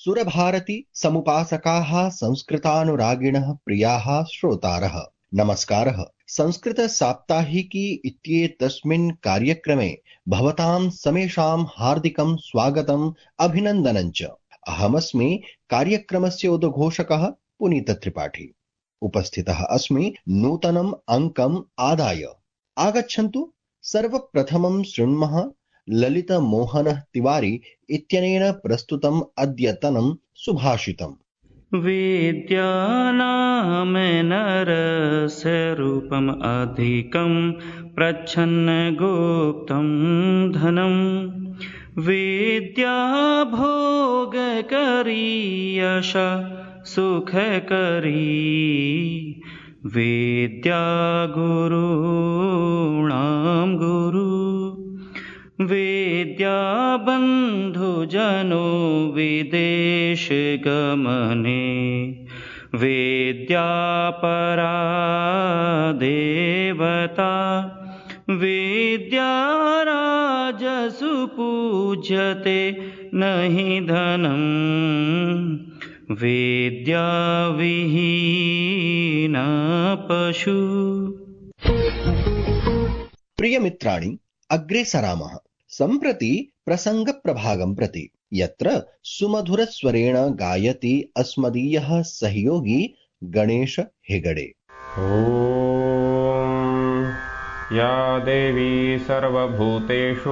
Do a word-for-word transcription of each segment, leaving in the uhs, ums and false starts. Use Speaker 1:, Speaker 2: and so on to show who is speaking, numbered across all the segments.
Speaker 1: सुरभारती समुपासकाः संस्कृतानुरागिणः प्रियाः श्रोतारः नमस्कारः। संस्कृत साप्ताहिकी इत्येतस्मिन् कार्यक्रमे भवतां समेषां हार्दिकं स्वागतम् अभिनन्दनं च। अहमस्मि कार्यक्रमस्य उद्घोषकः पुनीत त्रिपाठी। उपस्थितः अस्मि नूतनम् अङ्कम् आदाय। आगच्छन्तु सर्वप्रथमं शृण्मः ललित मोहन तिवारी इत्यनेन प्रस्तुतम् अद्यतनं सुभाषितम्।
Speaker 2: विद्यानां नरस्य रूपम् अधिकं प्रच्छन्न गुप्तं धनं विद्या भोगकरी यशा सुखकरी विद्या गुरूणां गुरु विद्या बन्धुजनो विदेश गमने विद्या परा देवता विद्या राजसु पूज्यते नहि धनं विद्या विहीना पशु।
Speaker 1: प्रिय मित्राणि, अग्रे सरामः सम्प्रति प्रसंग प्रभागं प्रति, यत्र सुमधुरस्वरेण गायति अस्मदीयः सहयोगी गणेश हेगडे।
Speaker 3: ओम या देवी सर्वभूतेषु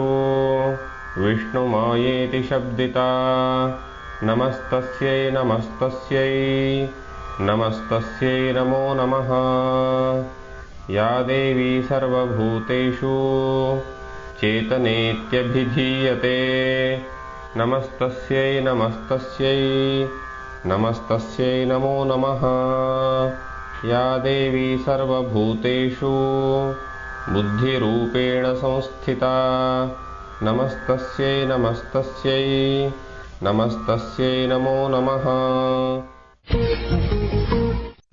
Speaker 3: विष्णुमायेति शब्दिता नमस्तस्यै नमस्तस्यै नमस्तस्यै नमो नमः। या देवी सर्वभूतेषु चेतनेत्यभिधीयते नमस्तस्यै नमस्तस्यै नमस्तस्यै नमो नमः। या देवी सर्वभूतेषु बुद्धिरूपेण संस्थिता नमस्तस्यै नमस्तस्यै नमस्तस्यै नमो नमः।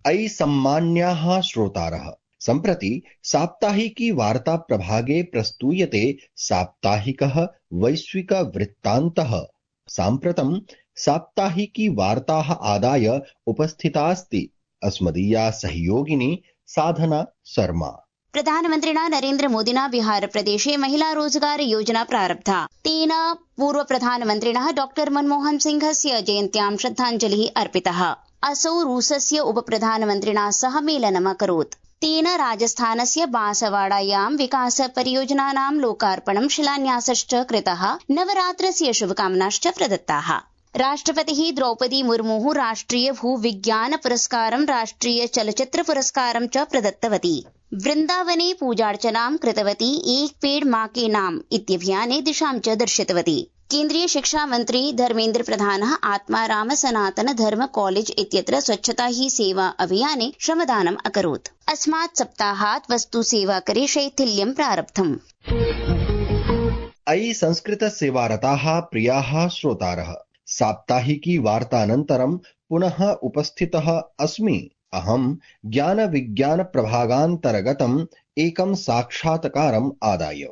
Speaker 1: अयि सम्मान्याः श्रोतारः, सम्प्रति साप्ताहिकी वार्ता प्रभागे प्रस्तूयते साप्ताहिकः वैश्विक वृत्तान्तः। साम्प्रतं साप्ताहिकी वार्ताः आदाय उपस्थितास्ति अस्मदीया सहयोगिनी साधना शर्मा।
Speaker 4: प्रधानमन्त्रिणा नरेन्द्र मोदिना बिहार प्रदेशे महिला रोजगार योजना प्रारब्धा। तेन पूर्व प्रधानमन्त्रिणः डॉक्टर मनमोहन सिंहस्य जयन्त्यां श्रद्धाञ्जलिः अर्पितः। असौ रूसस्य उपप्रधानमन्त्रिणा सह मेलनम् अकरोत्। तेन राजस्थानस्य बांसवाडायां विकास परियोजनानां लोकार्पणं शिलान्यासश्च कृतः। नवरात्रस्य शुभकामनाश्च प्रदत्ताः। राष्ट्रपतिः द्रौपदी मुर्मुः राष्ट्रिय भूविज्ञान पुरस्कारं राष्ट्रिय चलचित्र पुरस्कारं च प्रदत्तवती। वृन्दावने पूजार्चनां कृतवती। एक पेड़ मां के नाम इत्यभियाने दिशां च दर्शितवती। केन्द्रीय शिक्षा मंत्री धर्मेन्द्र प्रधानः आत्माराम सनातन धर्म कॉलेज इत्यत्र स्वच्छता ही सेवा अभियाने श्रमदानम् अकरोत्। अस्मात् सप्ताहात् वस्तु सेवाकरे शैथिल्यं प्रारब्धम्।
Speaker 1: अयि संस्कृत सेवारताः प्रियाः श्रोतारः, साप्ताहिकी वार्तानन्तरं पुनः उपस्थितः अस्मि अहं ज्ञान विज्ञान प्रभागान्तर्गतम् एकं साक्षात्कारम् आदाय।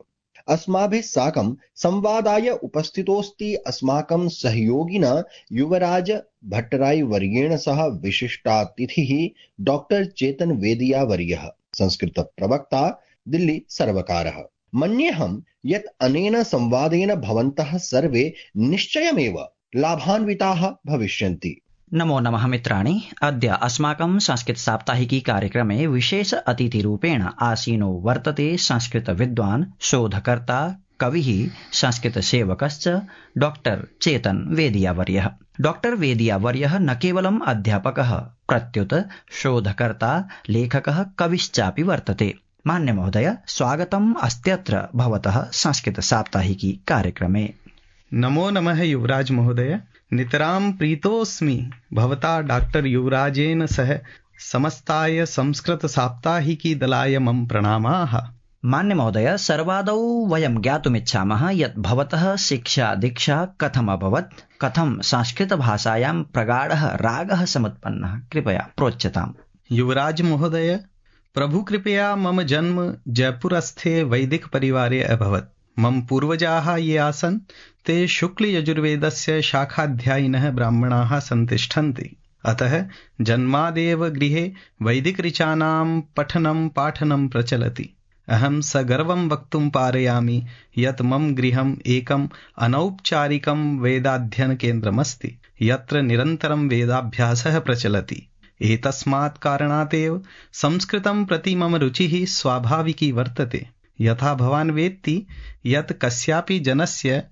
Speaker 1: अस्माभिः साकं संवादाय उपस्थितोऽस्ति अस्माकं सहयोगिना युवराज भट्टराय वर्येण सह विशिष्टातिथिः डॉक्टर चेतन वेदिया वर्यः, संस्कृत प्रवक्ता, दिल्ली सर्वकारः। मन्येऽहं यत् अनेन संवादेन भवन्तः सर्वे निश्चयमेव लाभान्विताः भविष्यन्ति।
Speaker 5: नमो नमः मित्राणि। अद्य अस्माकं संस्कृत साप्ताहिकी कार्यक्रमे विशेष अतिथिरूपेण आसीनो वर्तते संस्कृत विद्वान्, शोधकर्ता, कविः, संस्कृत सेवकश्च डॉक्टर चेतन वेदियावर्यः। डॉक्टर वेदियावर्यः न केवलम् अध्यापकः, प्रत्युत शोधकर्ता, लेखकः, कविश्चापि वर्तते। मान्य महोदय, स्वागतम् अस्त्यत्र भवतः संस्कृत साप्ताहिकी कार्यक्रमे।
Speaker 6: नमो नमः युवराज महोदय। नितरां प्रीतोऽस्मि भवता डॉक्टर युवराजेन सह समस्ताय संस्कृत साप्ताहिकी दलाय मम प्रणामाः।
Speaker 5: मान्य महोदय, सर्वादौ वयं ज्ञातुमिच्छामः यत् भवतः शिक्षा दीक्षा कथम् अभवत्, कथं संस्कृत भाषायां प्रगाढः रागः समुत्पन्नः, कृपया प्रोच्यताम्।
Speaker 6: युवराज महोदय, प्रभु कृपया मम जन्म जयपुरस्थे वैदिक परिवारे अभवत्। मम पूर्वजाः ये आसन् ते शुक्लयजुर्वेदस्य शाखाध्यायिनः ब्राह्मणाः सन्तिष्ठन्ति। अतः जन्मादेव गृहे वैदिकऋचानां पठनं पाठनं प्रचलति। अहं सगर्वं वक्तुं पारयामि यत् मम गृहम् एकम् अनौपचारिकं वेदाध्ययनकेन्द्रमस्ति, यत्र निरन्तरं वेदाभ्यासः प्रचलति। एतस्मात् कारणात् एव संस्कृतं प्रति मम रुचिः स्वाभाविकी वर्तते। यथा भवान् वेत्ति यत् कस्यापि जनस्य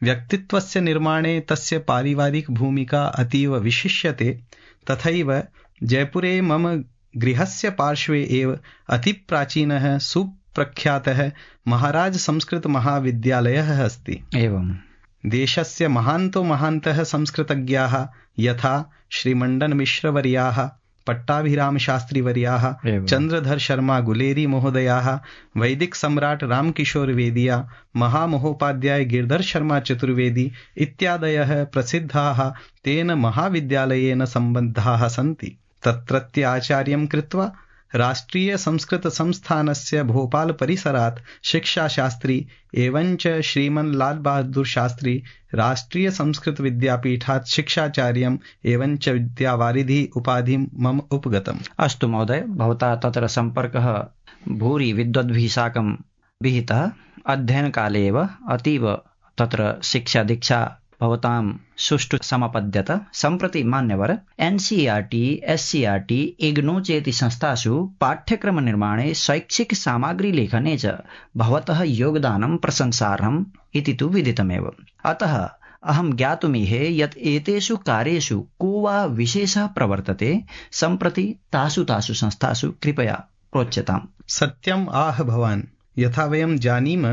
Speaker 6: व्यक्तित्वस्य निर्माणे तस्य पारिवारिक भूमिका अतीव विशिष्यते, तथैव जयपुरे मम गृहस्य पार्श्वे एव अतिप्राचीनः सुप्रख्यातः महाराज संस्कृत महाविद्यालयः अस्ति।
Speaker 5: एवं
Speaker 6: देशस्य महान्तो महान्तः संस्कृतज्ञाः यथा श्रीमण्डन मिश्रवर्याः, पट्टाभिरामशास्त्रीवर्याः, चन्द्रधर शर्मा गुलेरी महोदयाः, वैदिक सम्राट रामकिशोर वेदिया, महामहोपाध्याय गिरधर शर्मा चतुर्वेदी इत्यादयः प्रसिद्धाः तेन महाविद्यालयेन सम्बद्धाः सन्ति। तत्रत्य आचार्यं कृत्वा राष्ट्रीय संस्कृत संस्थानस्य भोपाल परिसरात् शिक्षाशास्त्री एवञ्च श्रीमन् लाल बहादुर शास्त्री राष्ट्रीय संस्कृत विद्यापीठात् शिक्षाचार्यम् एवञ्च विद्यावारिधि उपाधिं मम उपगतम्।
Speaker 5: अस्तु महोदय, भवता तत्र सम्पर्कः भूरि विद्वद्भिः साकं विहितः। अध्ययनकाले एव अतीव तत्र शिक्षा दीक्षा भवतां सुष्ठु समपद्यत। सम्प्रति मान्यवर एनसीईआरटी, एससीईआरटी, इग्नू चेति संस्थासु पाठ्यक्रमनिर्माणे शैक्षिक सामग्री लेखने च भवतः योगदानं प्रशंसार्हम् इति तु विदितमेव। अतः अहं ज्ञातुमीहे यत् एतेषु कार्येषु को वा विशेषः प्रवर्तते। सम्प्रति तासु तासु संस्थासु कृपया प्रोच्यताम्।
Speaker 6: सत्यम् आह भवान्। यथा वयं जानीम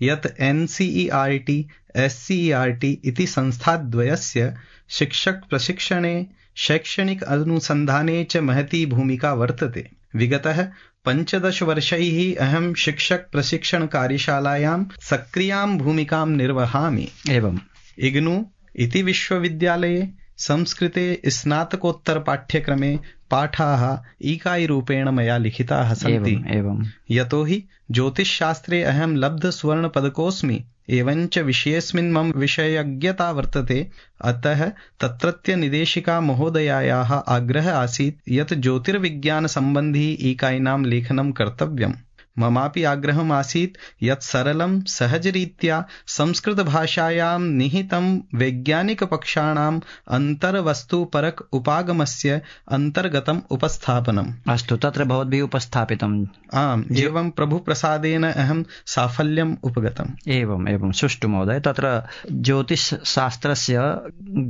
Speaker 6: यत् एनसीईआरटी, एससीईआरटी इति संस्थाद्वयस्य शिक्षक प्रशिक्षणे, शैक्षणिक अनुसन्धाने च महती भूमिका वर्तते। विगतः पञ्चदश वर्षैः अहं शिक्षक प्रशिक्षण कार्यशालायां सक्रियां भूमिकां निर्वहामि।
Speaker 5: एवं
Speaker 6: इग्नू इति विश्वविद्यालये संस्कृते स्नातकोत्तर पाठ्यक्रमे पाठाः इकाईरूपेण मया लिखिताः सन्ति।
Speaker 5: एवं
Speaker 6: यतोहि ज्योतिषशास्त्रे अहं लब्ध स्वर्ण पदकोऽस्मि, एवञ्च विषयेऽस्मिन् मम विषयज्ञता वर्तते। अतः तत्रत्य निदेशिका महोदयायाः आग्रहः आसीत् यत् ज्योतिर्विज्ञान सम्बन्धी इकाईनां लेखनं कर्तव्यम्। ममापि आग्रहम् आसीत् यत् सरलं सहजरीत्या संस्कृतभाषायां निहितं वैज्ञानिकपक्षाणाम् अन्तर्वस्तुपरक उपागमस्य अन्तर्गतम् उपस्थापनम्।
Speaker 5: अस्तु, तत्र भवद्भिः उपस्थापितम्।
Speaker 6: आम्, एवं प्रभुप्रसादेन अहं साफल्यम् उपगतम्।
Speaker 5: एवम् एवं सुष्ठु महोदय, तत्र ज्योतिषशास्त्रस्य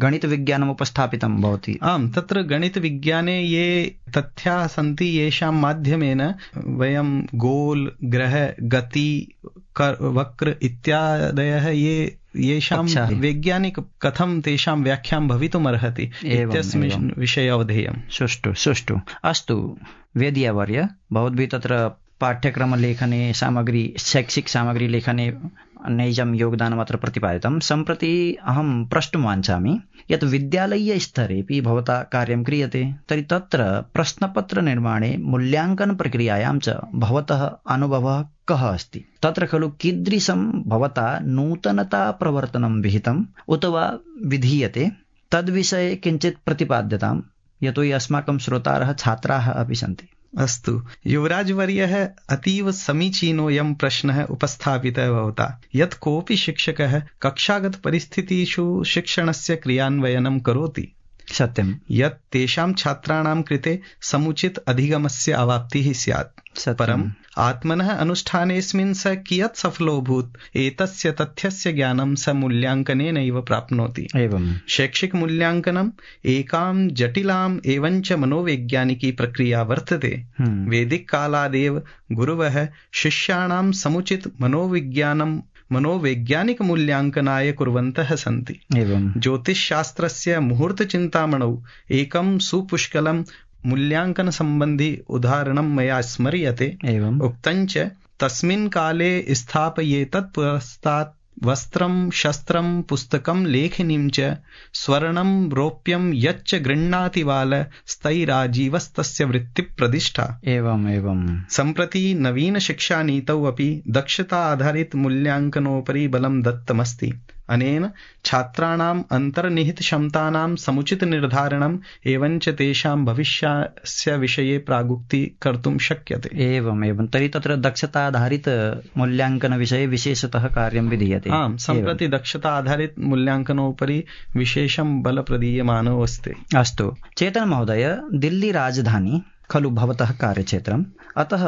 Speaker 5: गणितविज्ञानम् उपस्थापितं भवति।
Speaker 6: आम्, तत्र गणितविज्ञाने ये तथ्याः सन्ति येषां माध्यमेन वयं गोल, ग्रह, गति, वक्र इत्यादयः ये येषां वैज्ञानिक कथं तेषां व्याख्यां भवितुमर्हति इत्यस्मिन् विषये अवधेयम्।
Speaker 5: सुष्ठु सुष्ठु अस्तु वेदियावर्य, भवद्भिः तत्र पाठ्यक्रमलेखने सामग्री शैक्षिक सामग्री लेखने नैजं योगदानमत्र प्रतिपादितं। सम्प्रति अहं प्रष्टुं वाञ्छामि यत् विद्यालयस्तरेपि भवता कार्यं क्रियते, तर्हि तत्र प्रश्नपत्रनिर्माणे मूल्याङ्कनप्रक्रियायां च भवतः अनुभवः कः अस्ति? तत्र खलु कीदृशं भवता नूतनता प्रवर्तनं विहितम् उत वा विधीयते? तद्विषये किञ्चित् प्रतिपाद्यताम्, यतोहि अस्माकं श्रोतारः छात्राः अपि सन्ति।
Speaker 6: अस्तु, युवराजवर्यः अतीव समीचीनोऽयं प्रश्नः उपस्थापितः भवता। यत् कोऽपि शिक्षकः कक्षागत परिस्थितिषु शिक्षणस्य क्रियान्वयनं करोति,
Speaker 5: सत्यं
Speaker 6: यत् तेषां छात्राणां कृते समुचित अधिगमस्य अवाप्तिः स्यात्। परम् आत्मनः अनुष्ठानेऽस्मिन् स कियत् सफलोऽभूत् एतस्य तथ्यस्य ज्ञानं स मूल्याङ्कनेनैव प्राप्नोति।
Speaker 5: एवं
Speaker 6: शैक्षिक मूल्याङ्कनम् एकां जटिलाम् एवञ्च मनोवैज्ञानिकी प्रक्रिया वर्तते। वैदिक कालादेव गुरवः शिष्याणां समुचित मनोविज्ञानं मनोवैज्ञानिक मूल्याङ्कनाय कुर्वन्तः सन्ति।
Speaker 5: एवं
Speaker 6: ज्योतिषशास्त्रस्य मुहूर्तचिन्तामणौ एकं सुपुष्कलं मूल्याङ्कन सम्बन्धी उदाहरणं मया स्मर्यते।
Speaker 5: एवं
Speaker 6: उक्तञ्च तस्मिन् काले स्थापयेतत् पुरस्तात् वस्त्रं शस्त्रं पुस्तकं लेखनीं च स्वर्णं रौप्यं यच्च गृह्णाति बाल स्थैराजीवस्तस्य वृत्तिप्रदिष्ठा।
Speaker 5: एवं एवं
Speaker 6: सम्प्रति नवीन शिक्षानीतौ अपि दक्षता आधारित मूल्याङ्कनोपरि बलं दत्तमस्ति। अनेन छात्राणाम् अन्तर्निहितक्षमतानां समुचितनिर्धारणम् एवञ्च तेषां भविष्यस्य विषये प्रागुक्ति कर्तुं शक्यते।
Speaker 5: एवम् एवं तर्हि तत्र दक्षताधारित मूल्याङ्कनविषये विशेषतः कार्यं विधीयते।
Speaker 6: आम्, सम्प्रति दक्षता आधारित मूल्याङ्कनोपरि विशेषं बल प्रदीयमानो अस्ति।
Speaker 5: अस्तु चेतन महोदय, दिल्ली राजधानी खलु भवतः कार्यक्षेत्रम्, अतः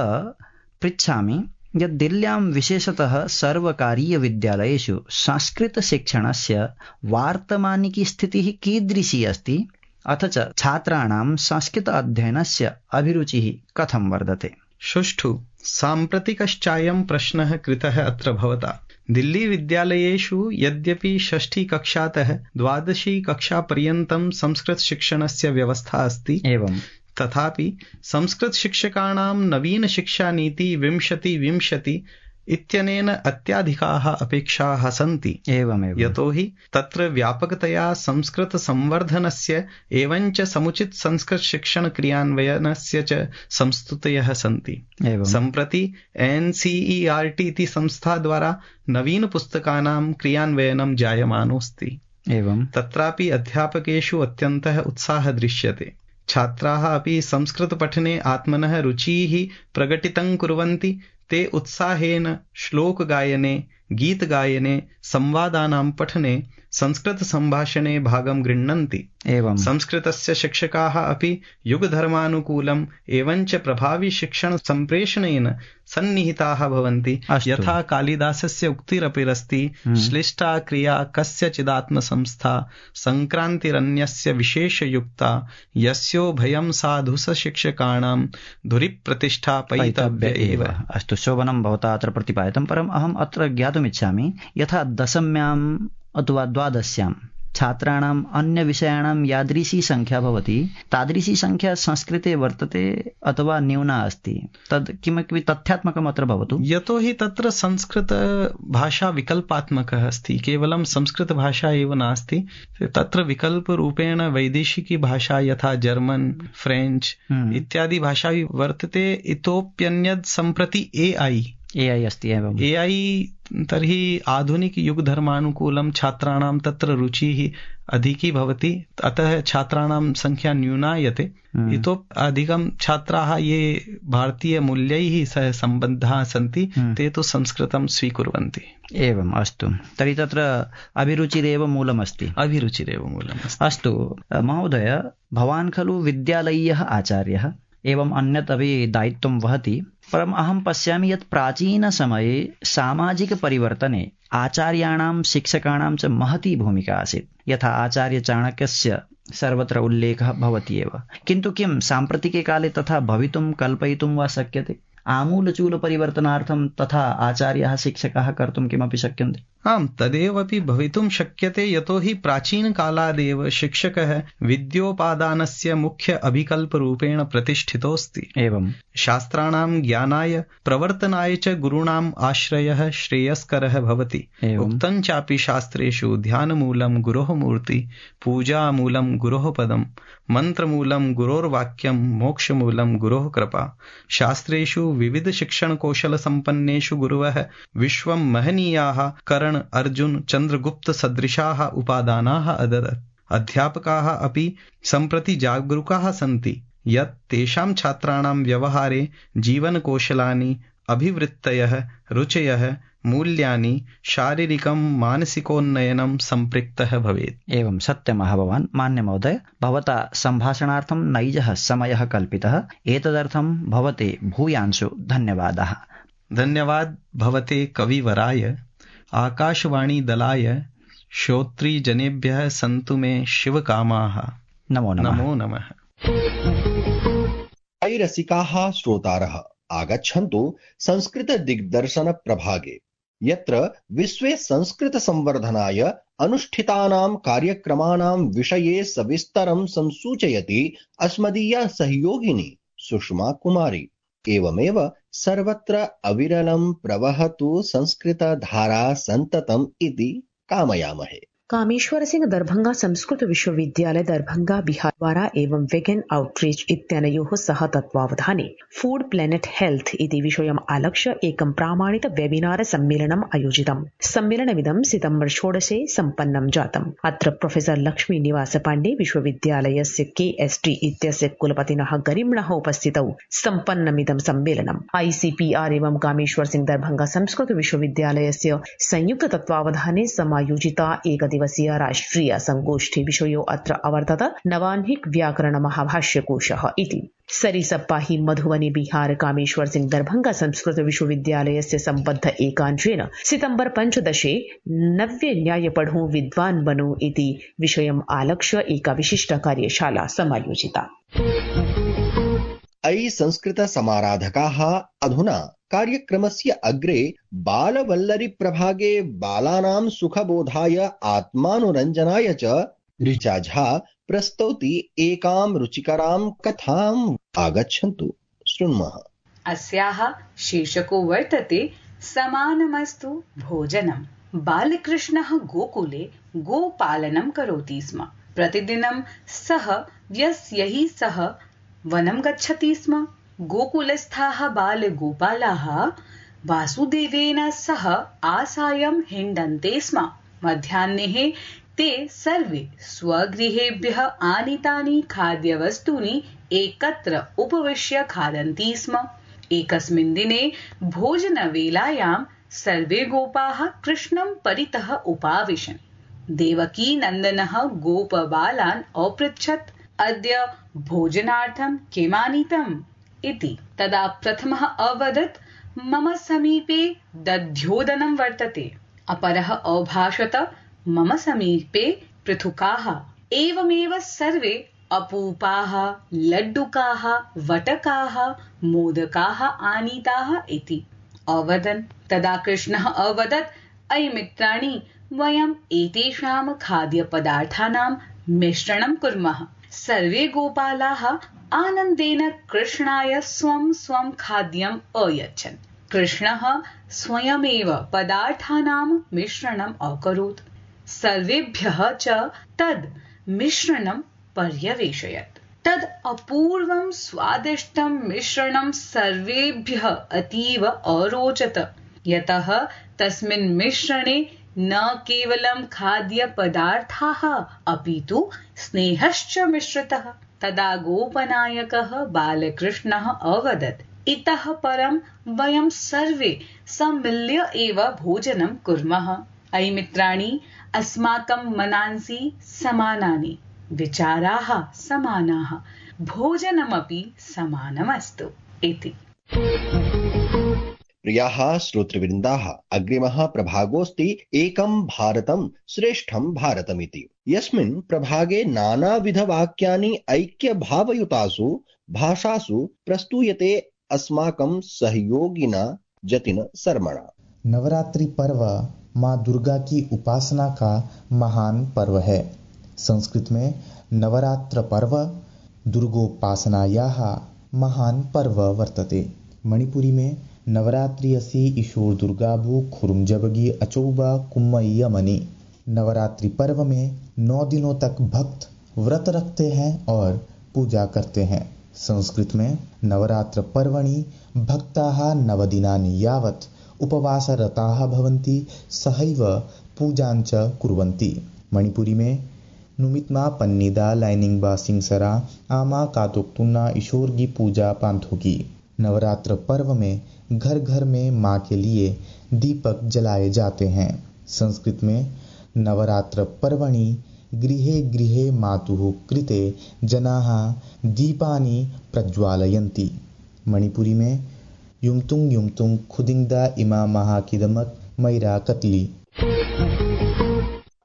Speaker 5: पृच्छामि यत् दिल्ल्यां विशेषतः सर्वकारीयविद्यालयेषु संस्कृतशिक्षणस्य वार्तमानिकी स्थितिः कीदृशी अस्ति, अथ च छात्राणां संस्कृत अध्ययनस्य अभिरुचिः कथं वर्धते?
Speaker 6: सुष्ठु साम्प्रतिकश्चायं प्रश्नः कृतः अत्र भवता। दिल्ली विद्यालयेषु यद्यपि षष्ठी कक्षातः द्वादशी कक्षापर्यन्तं संस्कृतशिक्षणस्य व्यवस्था अस्ति, एवं तथापि संस्कृतशिक्षकाणां नवीनशिक्षानीति विंशति विंशति इत्यनेन अत्याधिकाः अपेक्षाः सन्ति। एवमेव यतोहि तत्र व्यापकतया संस्कृतसंवर्धनस्य एवञ्च समुचित संस्कृतशिक्षण क्रियान्वयनस्य च संस्तुतयः सन्ति। सम्प्रति N C E R T इति संस्थाद्वारा नवीनपुस्तकानां क्रियान्वयनं जायमानोऽस्ति। एवं तत्रापि अध्यापकेषु अत्यन्तः उत्साहः दृश्यते। छात्राः अपि संस्कृतपठने आत्मनः रुचिः प्रकटितं कुर्वन्ति। ते उत्साहेन श्लोकगायने, गीतगायने, संवादानां पठने, संस्कृतसम्भाषणे भागं गृह्णन्ति। एवं संस्कृतस्य शिक्षकाः अपि युगधर्मानुकूलम् एवञ्च प्रभावी शिक्षण सम्प्रेषणेन सन्निहिताः भवन्ति। यथा कालिदासस्य उक्तिरपिरस्ति, श्लिष्टा क्रिया कस्यचिदात्मसंस्था संक्रान्तिरन्यस्य विशेषयुक्ता यस्यो भयं साधु स शिक्षकाणां धुरिप्रतिष्ठा पैतव्य एव।
Speaker 5: अस्तु, शोभनं भवता अत्र प्रतिपादितं, परम् अहम् अत्र ज्ञातुमिच्छामि यथा दशम्याम् अथवा द्वादश्यां छात्राणाम् अन्यविषयाणां यादृशी संख्या भवति तादृशी संख्या संस्कृते वर्तते अथवा न्यूना अस्ति, तद् किमपि तथ्यात्मकम् अत्र भवतु।
Speaker 6: यतोहि तत्र संस्कृतभाषा विकल्पात्मकः अस्ति, केवलं संस्कृतभाषा एव नास्ति। तत्र विकल्परूपेण वैदेशिकी भाषा यथा जर्मन्, फ्रेञ्च् इत्यादि भाषा वर्तते। इतोप्यन्यद् सम्प्रति ए ऐ
Speaker 5: ए ऐ अस्ति। एवं
Speaker 6: ए ऐ तर्हि आधुनिक युगधर्मानुकूलं छात्राणां तत्र रुचिः अधिकी भवति, अतः छात्राणां संख्या न्यूनायते। इतोपि अधिकं छात्राः ये भारतीयमूल्यैः सह सम्बद्धाः सन्ति ते तु संस्कृतं स्वीकुर्वन्ति।
Speaker 5: एवम्, अस्तु, तर्हि तत्र अभिरुचिरेव मूलमस्ति।
Speaker 6: अभिरुचिरेव मूलमस्ति।
Speaker 5: अस्तु महोदय, भवान् खलु विद्यालयीयः आचार्यः, एवं अन्यत् अपि दायित्वं वहति, परम् अहं पश्यामि यत् प्राचीनसमये सामाजिकपरिवर्तने आचार्याणां शिक्षकाणां च महती भूमिका आसीत्। यथा आचार्यचाणक्यस्य सर्वत्र उल्लेखः भवति एव, किन्तु किं साम्प्रतिके काले तथा भवितुं कल्पयितुं वा शक्यते? आमूलचूलपरिवर्तनार्थं तथा आचार्याः शिक्षकाः कर्तुं किमपि शक्यन्ते?
Speaker 6: आम्, तदेवपि भवितुं शक्यते। यतोहि प्राचीनकालादेव शिक्षकः विद्योपादानस्य मुख्य अभिकल्परूपेण प्रतिष्ठितोऽस्ति। एवं शास्त्राणां ज्ञानाय प्रवर्तनाय च गुरूणाम् आश्रयः श्रेयस्करः भवति। उक्तं चापि शास्त्रेषु ध्यानमूलं गुरोः मूर्ति, पूजामूलं गुरोः पदं, मन्त्रमूलं गुरोर्वाक्यं, मोक्षमूलं गुरोः कृपा। शास्त्रेषु विविध शिक्षण कौशल संपन्नेषु गुरुवः विश्वं महनीयाः कर्ण, अर्जुन, चंद्रगुप्त सदृशाः उपादानाः अददत्। अध्यापकाः अपि सम्प्रति जागरूकाः सन्ति यत् तेषां छात्राणां व्यवहारे जीवनकौशलानि, अभिवृत्तयः, रुचयः, मूल्यानि, शारीरिकं मानसिकोन्नयनं सम्पृक्तः भवेत्।
Speaker 5: एवं सत्यमः भवान्। मान्य महोदय, भवता सम्भाषणार्थं नैजः समयः कल्पितः, एतदर्थं भवते भूयांशु धन्यवादाः।
Speaker 6: धन्यवाद भवते कविवराय, आकाशवाणी दलाय, श्रोतृजनेभ्यः सन्तु मे शिवकामाः।
Speaker 5: नमो नमः।
Speaker 6: नमो नमः।
Speaker 1: रसिकाः श्रोतारः, आगच्छन्तु संस्कृत दिग्दर्शन प्रभागे, यत्र विश्वे संस्कृत संवर्धनाय अनुष्ठितानां कार्यक्रमाणां विषये सविस्तरं संसूचयति अस्मदीया सहयोगिनी सुषमा कुमारी। एवमेव सर्वत्र अविरलं प्रवहतु संस्कृतधारा सन्ततम् इति कामयामहे।
Speaker 7: कामेश्वर सिंह दरभंगा संस्कृत विश्वविद्यालय दरभंगा बिहार द्वारा एवं वेगन आउटरीच इत्यनयोः सह तत्त्वावधाने फूड प्लेनेट हेल्थ इति विषयम् आलक्ष्य एकं प्रामाणित वेबिनार सम्मेलनम् आयोजितम्। सम्मेलनमिदं सितम्बर षोडशे सम्पन्नं जातम्। अत्र प्रोफेसर लक्ष्मी निवास पाण्डे विश्वविद्यालयस्य के एस् टी इत्यस्य कुलपतिनः गरिम्णः उपस्थितौ सम्पन्नमिदं सम्मेलनम् आईसीपीआर एवं कामेश्वर सिंह दरभंगा संस्कृत विश्वविद्यालयस्य संयुक्त तत्त्वावधाने समायोजिता एक दिवसीय राष्ट्रिय संगोष्ठी विषयो अत्र अवर्तत नवाह्निक व्याकरण महाभाष्यकोशः इति। सरिसप्पा हि मधुबनी बिहार कामेश्वर सिंह दरभंगा संस्कृत विश्वविद्यालयस्य सम्बद्ध एकांशेन सितम्बर पञ्चदशे नव्य न्याय पढो विद्वान् बनो इति विषयम् आलक्ष्य एका विशिष्ट कार्यशाला समायोजिता।
Speaker 1: अयि संस्कृत समाराधकाः अधुना कार्यक्रमस्य अग्रे बालवल्लरी प्रभागे बालानां सुखबोधाय आत्मानुरञ्जनाय च ऋचा झा प्रस्तौति एकां रुचिकरां कथाम् आगच्छन्तु शृण्मः।
Speaker 8: अस्याः शीर्षको वर्तते समानमस्तु भोजनम्। बालकृष्णः गोकुले गोपालनं करोति स्म। प्रतिदिनं सः व्यस्यैः सह वनं गच्छति स्म। गोकुलस्थाः बालगोपालाः वासुदेवेन सह आसायं हिण्डन्ते स्म। मध्याह्ने ते सर्वे स्वगृहेभ्यः आनीतानि खाद्यवस्तूनि एकत्र उपविश्य खादन्ति स्म। एकस्मिन् दिने भोजनवेलायां सर्वे गोपाः कृष्णं परितः उपाविशन्। देवकी नन्दनः गोपबालान् अपृच्छत्, अद्य भोजनार्थं किमानीतम् इति। तदा प्रथमः अवदत्, मम समीपे दध्योदनं वर्तते। अपरः अभाषत, मम समीपे पृथुकाः। एवमेव सर्वे अपूपाः, लड्डुकाः, वटकाः, मोदकाः आनीताः इति अवदन्। तदा कृष्णः अवदत्, अयि मित्राणि, वयम् एतेषां खाद्यपदार्थानां मिश्रणं कुर्मः। सर्वे गोपालाः आनन्देन कृष्णाय स्वं स्वं खाद्यम् अयच्छन्। कृष्णः स्वयमेव पदार्थानां मिश्रणम् अकरोत्। सर्वेभ्यः च तद् मिश्रणं पर्यवेशयत्। तद् अपूर्वं स्वादिष्टं मिश्रणं सर्वेभ्यः अतीव अरोचत, यतः तस्मिन् मिश्रणे न केवलं खाद्यपदार्थाः अपि तु स्नेहश्च मिश्रितः। तदा गोपनायकः बालकृष्णः अवदत्, इतः परं वयं सर्वे सम्मिल्य एव भोजनं कुर्मः। अयि मित्राणि, अस्माकं मनांसि समानानि, विचाराः समानाः, भोजनमपि समानमस्तु इति।
Speaker 1: प्रियाः श्रोतृवृन्दाः, अग्रिमः प्रभागोऽस्ति एकं भारतं श्रेष्ठं भारतमिति। यस्मिन् प्रभागे नानाविधवाक्यानि ऐक्यभावयुतासु भाषासु प्रस्तूयते अस्माकं सहयोगिना जतिन शर्मणा।
Speaker 9: नवरात्रि पर्व माँ दुर्गा की उपासना का महान पर्व है। संस्कृत में नवरात्र पर्व दुर्गोपासनायाः महान पर्व वर्तते। मणिपुरी में नवरात्रि असि ईशोर दुर्गाभु खुरुमजबगी अचौबा कुम्मय्यमणि। नवरात्रि पर्व में नौ दिनों तक भक्त व्रत रखते हैं और पूजा करते हैं। संस्कृत में नवरात्र पर्वणि भक्ताः नवदिनानि यावत् उपवासरताः भवन्ति, सहैव पूजाञ्च कुर्वन्ति। मणिपुरी में नुमित्मा पन्निदा लाइनिंगबा सिंगसरा आमा कातोक्तुन्ना ईशोर की पूजा पांथोगी। नवरात्र पर्व में घर घर में माँ के लिए दीपक जलाए जाते हैं। संस्कृत में नवरात्र पर्वणि गृहे गृहे मातुः कृते जनाः दीपानि प्रज्वालयन्ति। मणिपुरी में युमतुंग युमतुंग खुदिंगदा इमा महाकिदमत मैरा कतली।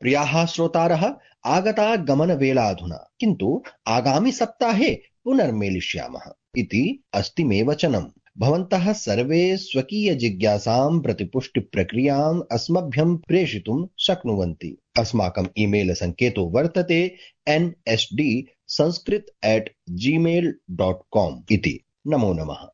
Speaker 1: प्रियाः श्रोतारः, आगता गमनवेला अधुना, किन्तु आगामि सप्ताहे पुनर्मेलिष्यामः इति अस्ति मे वचनम्। भवन्तः सर्वे स्वकीय जिज्ञासां प्रतिपुष्टिप्रक्रियाम् अस्मभ्यं प्रेषितुं शक्नुवन्ति। अस्माकम् ईमेल सङ्केतो वर्तते N S D Sanskrit at Gmail dot com इति। नमो नमः।